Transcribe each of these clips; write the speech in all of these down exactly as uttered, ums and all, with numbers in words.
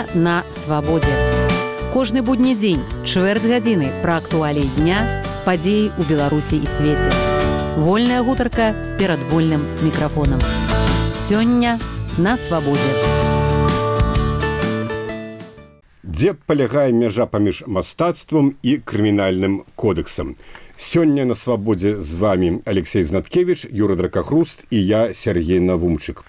Сёння на свабодзе. Кожны будні дзень, чвэрць гадзіны пра актуаліі дня, падзеі ў Беларусі і свеце. Вольная гутарка перад вольным мікрафонам. Сёння на свабодзе. Дзе палягае мяжа паміж мастацтвам і крымінальным кодэксам? Сёння на свабодзе з вами Алексей Знаткевич, Юра Дракохруст и я, Сергей Навумчик.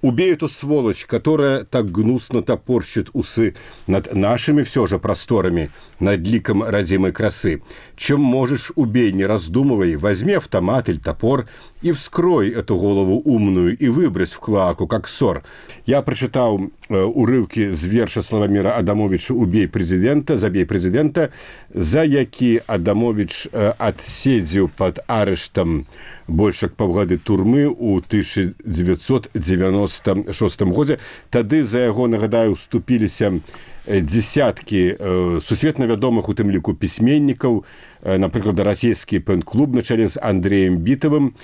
Убей эту сволочь, которая так гнусно топорщит усы над нашими все же просторами, над ликом родимой красы. Чем можешь, убей, не раздумывай, возьми автомат или топор и вскрой эту голову умную и выбрось в клоаку, как ссор. Я прочитал э, урывки з верша Славомира Адамовича «Убей президента», «Забей президента», за які Адамович э, отседзіў под арештом больше паўгады турмы ў тысяча девятьсот девяносто шестом годзе. Тады за яго, нагадаю, уступіліся десяткі э, сусветна вядомых у тым ліку пісьменнікаў, э, напрыклад, расійскі пэн-клуб на чале з Андреем Бітавым,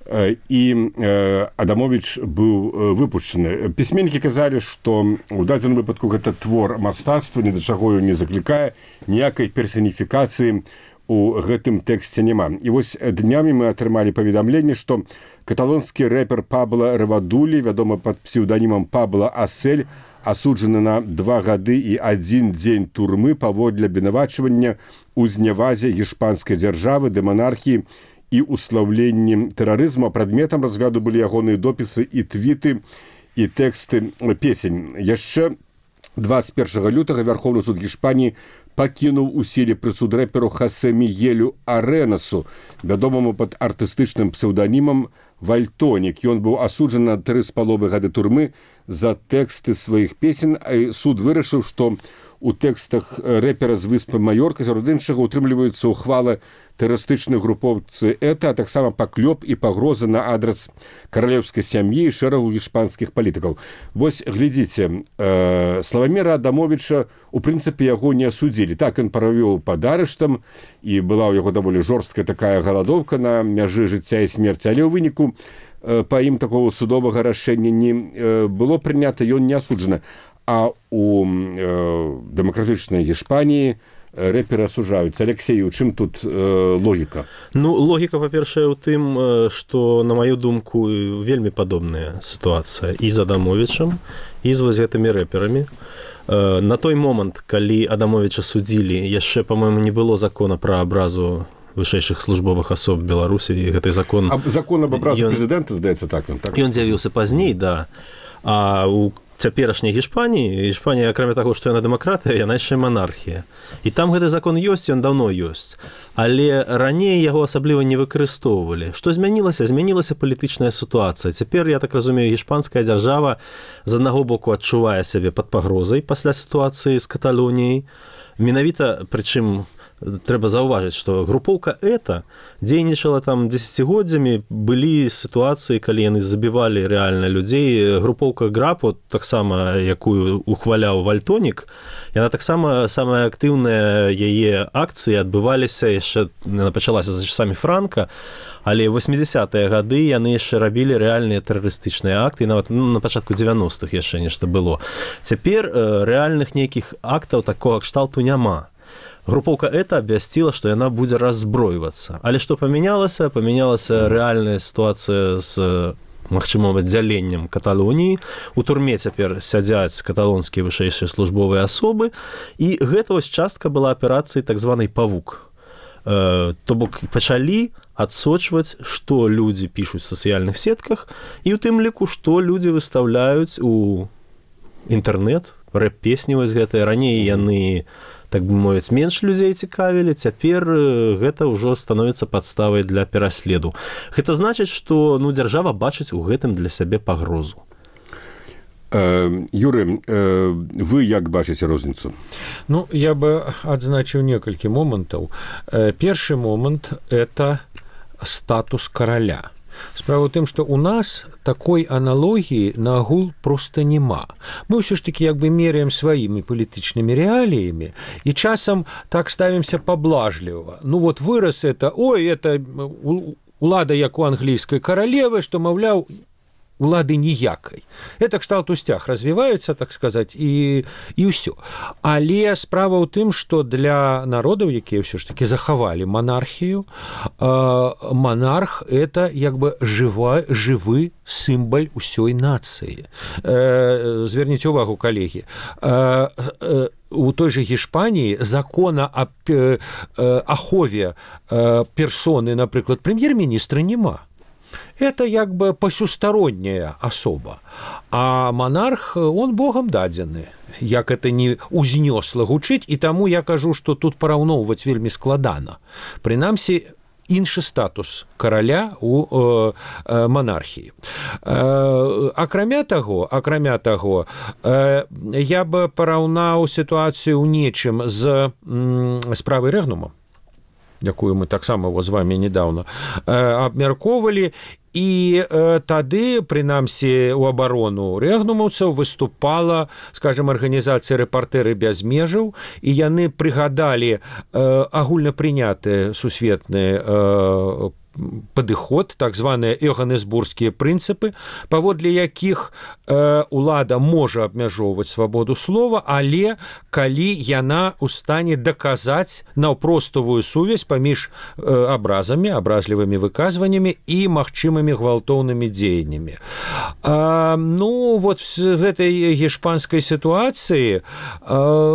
э, і э, Адамович быў э, выпушчаны. Пісьменнікі казалі, што ў дадзеным выпадку гэта твор мастацтва, ні да чаго не заклікае, ніякай персаніфікацыі у гэтым тэксце няма. І вось днямі мы атрымалі паведамленне, што каталонскі рэпер Пабло Ревадулі, вядомы пад псеўданімам Пабло Асель, асуджаны на два гады і адзін дзень турмы паводле абвінавачвання ў знявазе гішпанскай дзяржавы, дэманархіі і услаўленні тэрарызму. Прадметам разгляду былі ягоныя допісы і твіты, і тэксты песень. Яшчэ двадцать первого лютага Вярхоўны суд Гішпаніі пакінуў у сіле прысуд рэперу Хосе Мігелю Аренасу, вядомаму пад артыстычным псеўданімам Вальтонік. Ён быў асуджаны на тры з паловай гады турмы за тэксты сваіх песен, а суд вырашыў, што у тэкстах рэпера з выспы Маёрка сярод іншага утрымліваюцца ўхвалы тэрарыстычнай групоўцы ЭТА, а таксама паклёп і пагрозы на адрас каралеўскай сям'і і шэрагу гішпанскіх палітыкаў. Вось, глядзіце, э, Славоміра Адамовича, у прынцыпе, яго не асудзілі. Так, ён правёў пад арыштам, і была ў яго даволі жорсткая такая галадоўка на мяжы жыцця і смерці, але ў выніку э, па ім такого судовага рашэння не э, было прынята, ён не асуджаны. А у э, дэмакратычнай Гішпаніі рэперы асуджаюцца. Алексей, у чым тут э, логіка? Ну, логіка, па-першае, у тым, што, на маю думку, вельмі падобная сітуацыя і з Адамовічам, і з вось гэтымі рэперамі. Э, на той момант, калі Адамовіча судзілі, яшчэ, па-мойму, не было закона пра абразу вышэйшых службовых асоб Беларусі, і гэты закон... А закон об абразу ён... прэзідэнта, здаецца, так? Ён, так? Ён з'явіўся пазней, да. А у цяперашняй Гішпаніі, Гішпанія, акрамя таго, што яна дэмакратыя, яна яшчэ манархія. І там гэты закон ёсць, ён даўно ёсць. Але раней яго асабліва не выкарыстоўвалі. Што змянілася? Змянілася палітычная сітуацыя. Цяпер, я так разумею, гішпанская дзяржава з аднаго боку адчувае сябе пад пагрозай пасля сітуацыі з Каталоніяй. Менавіта, прычым, трэба заўважыць, што групоўка ЭТА дзейнічала там дзесяцігоддзямі, былі сітуацыі, калі яны забівалі рэальна людзей. Групоўка ГРАПО, таксама, якую ухваляў Вальтонік, яна таксама, самая актыўная яе акцыі адбываліся яшчэ, яна пачалася за часамі Франка, але ў восьмідзесятыя гады яны яшчэ рабілі рэальныя тэрарыстычныя акты, і нават ну, на пачатку дзевяностых яшчэ нешта было. Цяпер э, рэальных нейкіх актаў такога кшталту няма. Групоўка ЭТА абвясціла, што яна будзе раззброівацца. Але што памянялася? Памянялася рэальная сітуацыя з магчымым аддзяленнем Каталоніі. У турме цяпер сядзяць каталонскія вышэйшыя службовыя асобы, і гэта вось частка была аперацыі так званай «Павук». Э, то бок пачалі адсочваць, што людзі пішуць у сацыяльных сетках, і ў тым ліку, што людзі выстаўляюць у інтэрнэт, рэп-песні вось гэтыя. Раней яны, так бы мовіць, менш людзей цікавілі, цяпер гэта ўжо становіцца падставай для пераследу. Гэта значыць, што ну, дзяржава бачыць у гэтым для сябе пагрозу. Э, Юры, э, вы як бачыце розніцу? Ну, я бы адзначыў некалькі момантаў. Э, першы момант – это статус караля. Справа ў тым, што ў нас такой аналогіі на агул проста няма. Мы ўсё ж такі як бы меряем сваімі палітычнымі рэаліямі і часам так ставімся паблажліва. Ну вот вырас это, ой, это улада як у англійскай каралевы, што, маўляў, улады ніякай. Это кшталт устях развіваецца, так сказаць, і, і ўсё. Але справа ў тым, што для народаў, якія ўсё ж такі захавалі манархію, манарх – это як бы жыва, жывы сімбаль усёй нацыі. Зверніце ўвагу, калегі, у той же Гішпаніі закона аб ахове персоны, напрыклад, прэм'ер-міністра няма. Это як бы пасюстаронняя асоба. А монарх, он богам дадзены. Як это не узнёсла гучыць, і таму я кажу, што тут параўноўваць вельмі складана. Прынамсі, іншы статус караля у э, э, монархіі. Э, акрамя таго, акрамя таго, э, я бы параўнаў сітуацыю ў нечым з м, справай Рэгнума, якую мы таксама з вами недавно э, абмяркоўвалі, і э, тады, прынамсі, у абарону рэгнумаўцаў выступала, скажем, арганізацыя «Рэпартэры без межаў», і яны прыгадалі э, агульнапрынятыя сусветныя э, падыход, так званыя ёганесбургскія прынцыпы, паводле якіх э, улада можа абмяжоўваць свабоду слова, але калі яна ў стане даказаць наўпроставую сувязь паміж э, абразамі, абразлівымі выказваннямі і магчымымі гвалтоўнымі дзеяннямі. А, ну, вот в гэтай гішпанскай сітуацыі, э,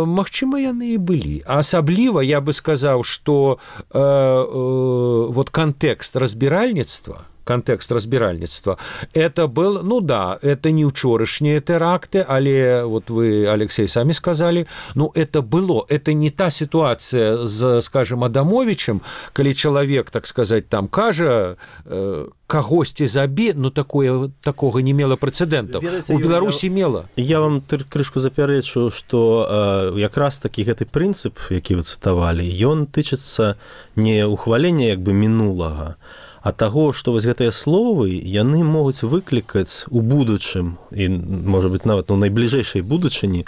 магчыма, яны і былі. А асабліва, я бы сказаў, што э, э, вот кантэкст разбиральництва, контекст разбиральництва, это был, ну да, это не учорашние теракты, але вот вы, Алексей, сами сказали, ну это было, это не та ситуация с, скажем, Адамовичем, коли человек, так сказать, там кажа, э, кагосьці забі, ну такое, такого не мела прецедентов. Ведаце, у Беларусі мела. Я вам крышку запярэчу, што э, якраз такі гэты прынцып, які вы цытавалі, ён тычыцца не ухвалення як бы мінулага, а таго, што вось гэтыя словы, яны могуць выклікаць у будучым, і, можа быць, нават у найбліжэйшай будучыні,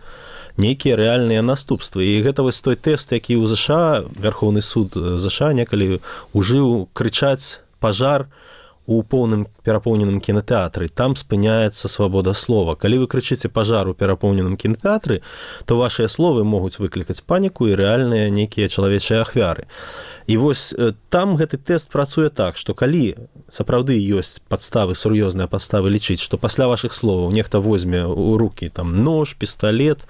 нейкія рэальныя наступствы. І гэта вось той тэст, які ў ЗША, Вярхоўны суд ЗША некалі ужыў крычаць пажар у поўным перапоўненым кінотэатры. Там спыняецца свабода слова. Калі вы крычыце пажар у перапоўненым кінотэатры, то вашыя словы могуць выклікаць паніку і рэальныя нейкія чалавечыя ахвяры. І вось там гэты тэст працуе так, што калі сапраўды ёсць падставы, сур'ёзныя падставы лічыць, што пасля вашых словаў нехта возьме ў рукі там нож, пісталет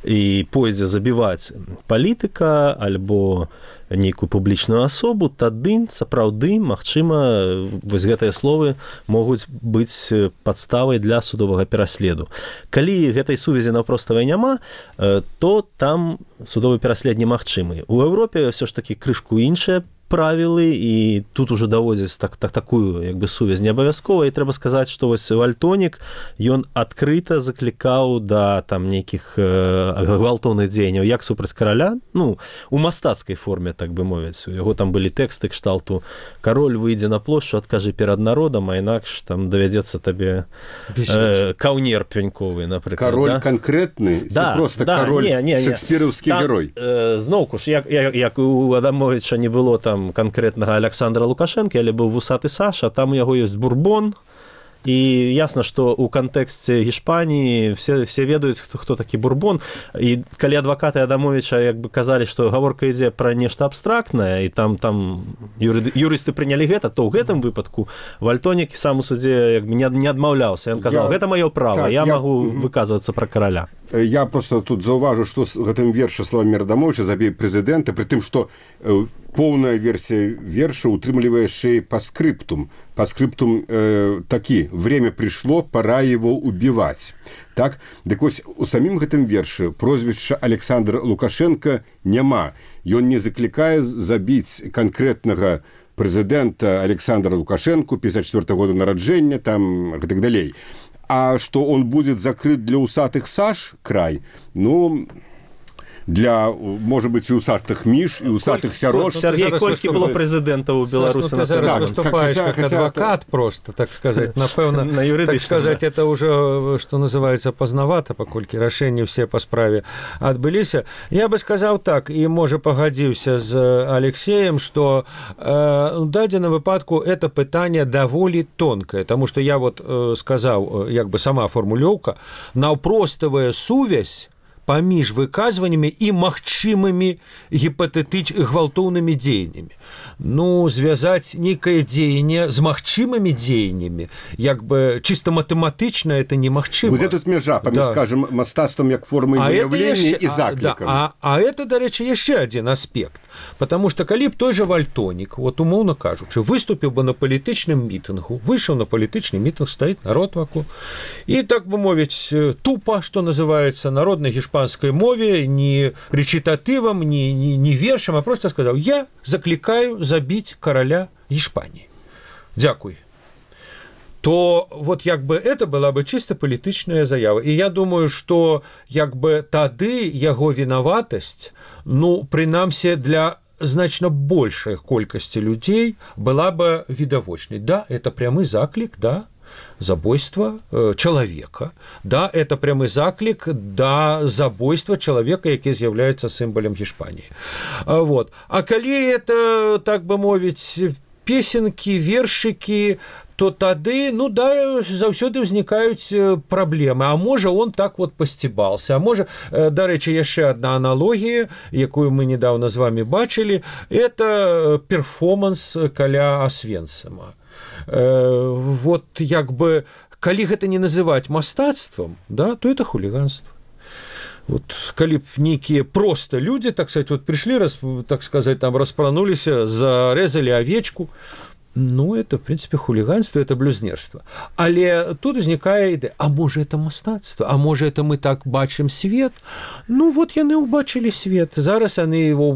і пойдзе забіваць палітыка альбо нейкую публічную асобу, тады сапраўды, магчыма, вось гэтыя словы могуць быць падставай для судовага пераследу. Калі гэтай сувязі наўпроставай няма, то там судовы пераслед немагчымы. У Еўропе ўсё ж такі крышку іншыя правілы, і тут уже даводзяць так, так, такую як бы сувязь не абавязкова, і трэба сказаць, што вось Вальтонік, ён адкрыта заклікаў да там нейкіх э, гвалтоўных дзеянняў як супраць караля, ну, у мастацкай форме, так бы мовіць. У яго там былі тэксты кшталту «Кароль выйдзе на плошчу, адкажы перад народам, а інакш там давядзецца табе э, каўнер пяньковы, напрыклад». Кароль да? Канкрэтны, да, просто да, кароль не, не, не. шекспіраўскі там, герой. Э, зноўку ж, як, як, як у Адамовича не было там конкретнага Александра Лукашэнкі, але быў вусаты Саша, там у яго ёсць бурбон, і ясна, што ў кантэксце Гішпаніі все, все ведаюць, хто, хто такі бурбон, і калі адвакаты Адамовича як бы казалі, што гаворка ідзе пра нешта абстрактнае, і там, там юры, юрысты прынялі гэта, то ў гэтым выпадку Вальтонік сам у судзе як бы не, не адмаўляўся. Ён казаў, я... гэта маё права, так, я, я магу mm-hmm. выказвацца пра караля. Я просто тут заўважу, што з гэтым верша словамі Адамовича забей прэзідэнта, пры тым, што поўная версія верша утрымлівае яшчэ па скрыптум. По скриптум э, такі, время пришло, пора его убивать. Так? Дык вось у самім гэтым вершы прозвішча Александр Лукашенко няма. Ён не заклікае забіць канкрэтнага прэзідэнта Александра Лукашенко, пятьдесят четвёртого года нараджэння, там, и так далей. А што он будет закрыт для усатых Саш край, ну... для, может быть, и усатых між, и усатых сярод. Сергей, колькі было прэзідэнтаў у Беларусі? Ты зараз выступаешь как адвокат просто, так сказать. Напэўна, так сказать, это уже, что называется, поздновато, паколькі рашэнні все по справе адбыліся. Я бы сказал так, и, может, погодился с Алексеем, что э, в дадзеным выпадку это пытание даволі тонкое, потому что я вот э, сказал, як бы сама формулёўка, наўпроставая сувязь паміж выказваннямі і магчымымі гіпатэтыч гвалтоўнымі дзеяннямі. Ну, звязаць нейкае дзеянне з магчымымі дзеяннямі, як бы чисто матэматычна это немагчыма. Вот тут мяжа паміж, да. скажем, мастацтвам як формай выяўлення і заклікам. А, да, а, а это, дарэчы, яшчэ адзін аспект. Потому что калі б той же Вальтонік, вот умоўно кажучы, выступіў бы на палітычным мітынгу, выйшаў на палітычны мітынг, стаіць народ вакол, і, так бы мовіць, тупо, что называется, народнай гішпанскай мове, не речитативом, не, не, не вершем, а просто сказал: я закликаю забить короля Испании. Дякую. То вот як бы это была бы чисто палітычная заява. І я думаю, что як бы тады яго вінаватасць, ну, прынамсі для значно большай колькасці людзей была бы відавочнай. Да, это прямы заклік, да, забойства э, чалавека. Да, это прямы заклік да забойства чалавека, які з'яўляецца сімвалам Гішпаніі. А, вот. А калі это, так бы мовіць, песенкі, вершыкі, то тады, ну да, заўсёды ўзнікаюць праблемы. А можа, он так вот пасцібался. А можа, дарэчы, яшчэ одна аналогія, якую мы недавно з вами бачылі, это перформанс каля Освенцима. Вот як бы, калі гэта не называць мастацтвам, да, то это хулиганство. Вот, калі б нейкія просто люди, так сказать, вот пришли, раз, так сказать, там распрануліся, зарезали овечку, ну, это, в принципе, хулиганство, это блюзнерство. Але тут узнікае ідэя, а можа, это мастацтва, а можа, это мы так бачым свет? Ну, вот яны ўбачылі свет, зараз яны его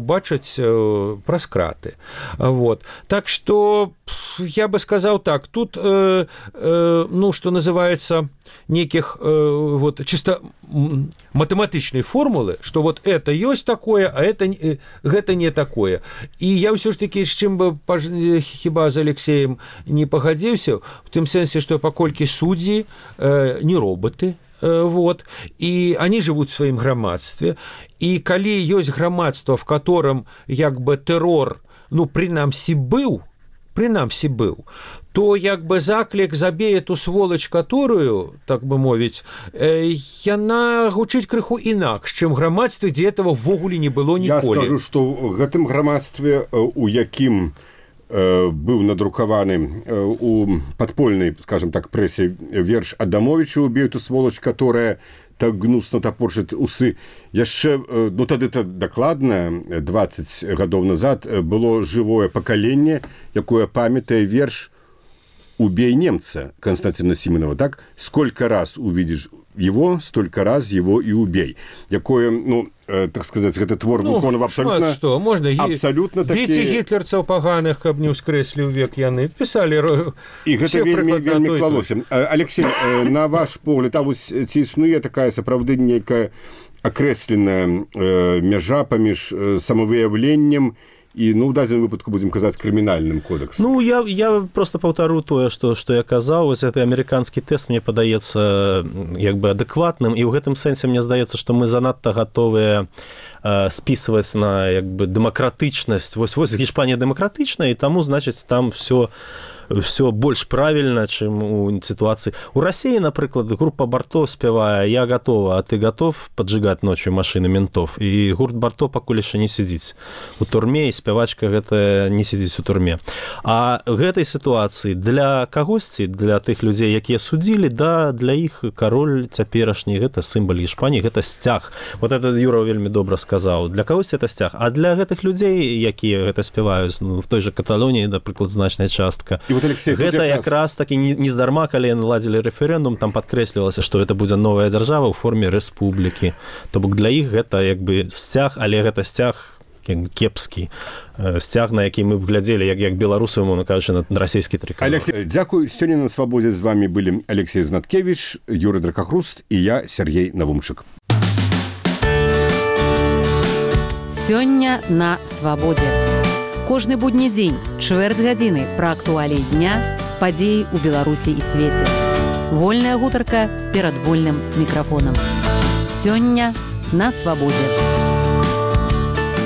убачаць праз краты. Вот. Так что, я бы сказал так, тут, э, э, ну, что называется, неких э, вот, чисто матэматычнай формулы, что вот это ёсць такое, а это, э, гэта не такое. І я ўсё ж таки, з чым бы хіба з Алексеем не пагадзіўся, в тым сэнсе, што паколькі суддзі э, не роботы, э, вот, і они живут в сваім грамадстве, і калі ёсць грамадства, в котором як бы тэрор, ну, прынамсі быў, прынамсі быў, то як бы заклік забей эту сволач, которую, так бы мовіць, э, яна гучыць крыху інакш, чым грамадстве, дзе этого ввогуле не было ніколі. Я скажу, што ў гэтым грамадстве, у якім э, быў надрукаваны э, у падпольнай, скажем так, прэсе верш Адамовіча «Убей эту сволач, которая так гнусно топорчыць усы». Яшчэ, ну тады-то дакладна, двадцать гадоў назад было жывое пакаленне, якое памятае верш «Убей немца» Константина Симонова, так? Сколько раз увидишь его, столько раз его и убей. Якое, ну, э, так сказать, этот твор ну, выконав абсолютно... Что, можно абсолютно такі... Дзеці гітлерцаў паганых, каб не ўскрэслі ў век яны, пісалі... І гэта вельмі, вельмі клалося. Алексей, э, на ваш погляд, а вось ці існуе такая сапраўды нейкая акрэсленая э, мяжа паміж э, самавыяўленнем і, ну, ў дадзеным выпадку будзем казаць крымінальным кодексам. Ну, я, я просто паўтару тое, што, што я казаў. Вось гэты амерыканскі тэст мне падаецца як бы адэкватным, і ў гэтым сэнсе мне здаецца, што мы занадта гатовыя э, спісваць на як бы дэмакратычнасць. Вось, вось Гішпанія дэмакратычная, і таму, значыць, там все все больш правільна, чым у сітуацыі. У Расіі, напрыклад, група Барто спявае «Я готова, а ты готов поджигать ночью машины ментов?» І гурт Барто пакуль яшчэ не сидзіць у турме, і спявачка гэта не сидзіць у турме. А гэтай сітуацыі для кагосьці, для тых людзей, якія судзілі, да, для іх кароль цяперашні, гэта сімвал Гішпаніі, гэта сцяг. Вот это Юра вельмі добра сказаў. Для кагосьці это сцяг. А для гэтых людзей, якія гэта спяваюць, ну, в той же Каталоніі, напрыклад, значная частка, вот, Алексей, гэта якраз таки не, не здарма, калі наладзілі рэферэндум, там падкрэслівалася, што гэта будзе новая дзяржава ў форме рэспублікі. То бок для іх гэта як бы сцяг, але гэта сцяг кепскі, сцяг, на які мы б глядзелі, як, як беларусы, умоўна кажучы, на расійскі трыколор. Алексей, дзякуй. Сёння на Свабодзе з вами былі Алексей Знаткевич, Юрий Дракахруст і я, Сергей Навумчык. Сёння на свабодзе. Кожны будні дзень, чвэрць гадзіны пра актуаліі дня, падзеі ў Беларусі і свеце. Вольная гутарка перад вольным мікрафонам. Сёння на свабодзе.